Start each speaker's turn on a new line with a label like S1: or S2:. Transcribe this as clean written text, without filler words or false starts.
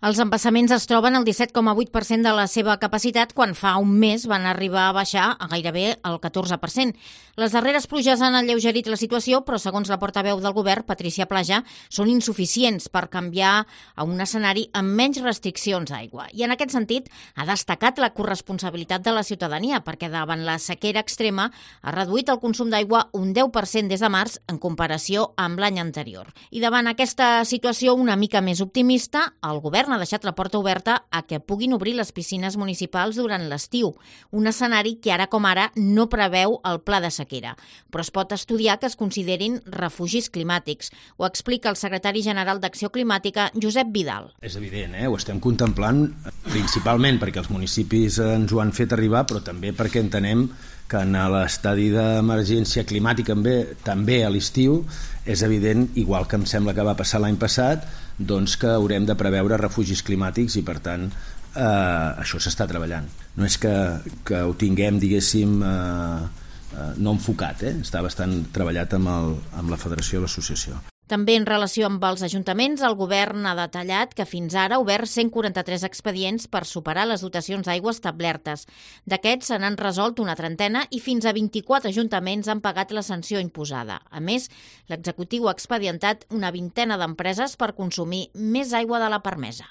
S1: Els embassaments es troben al 17,8% de la seva capacitat quan fa un mes van arribar a baixar a gairebé el 14%. Les darreres pluges han alleugerit la situació, però segons la portaveu del govern, Patricia Plaja, són insuficients per canviar a un escenari amb menys restriccions d'aigua. I en aquest sentit ha destacat la corresponsabilitat de la ciutadania, perquè davant la sequera extrema ha reduït el consum d'aigua un 10% des de març en comparació amb l'any anterior. I davant aquesta situació una mica més optimista, el govern ha deixat la porta oberta a que puguin obrir les piscines municipals durant l'estiu, un escenari que ara com ara no preveu el pla de sequera, però es pot estudiar que es considerin refugis climàtics. Ho explica el secretari general d'Acció Climàtica, Josep Vidal.
S2: És evident, ho estem contemplant principalment perquè els municipis ens ho han fet arribar, però també perquè entenem que en l'estadi d'emergència climàtica també a l'estiu és evident, igual que em sembla que va passar l'any passat, doncs que haurem de preveure refugis climàtics i per tant això s'està treballant. No és que ho tinguem, diguéssim, no enfocat, està bastant treballat amb la Federació i l'Associació.
S1: També en relació amb els ajuntaments, el govern ha detallat que fins ara ha obert 143 expedients per superar les dotacions d'aigua establertes. D'aquests se n'han resolt una trentena i fins a 24 ajuntaments han pagat la sanció imposada. A més, l'executiu ha expedientat una vintena d'empreses per consumir més aigua de la permesa.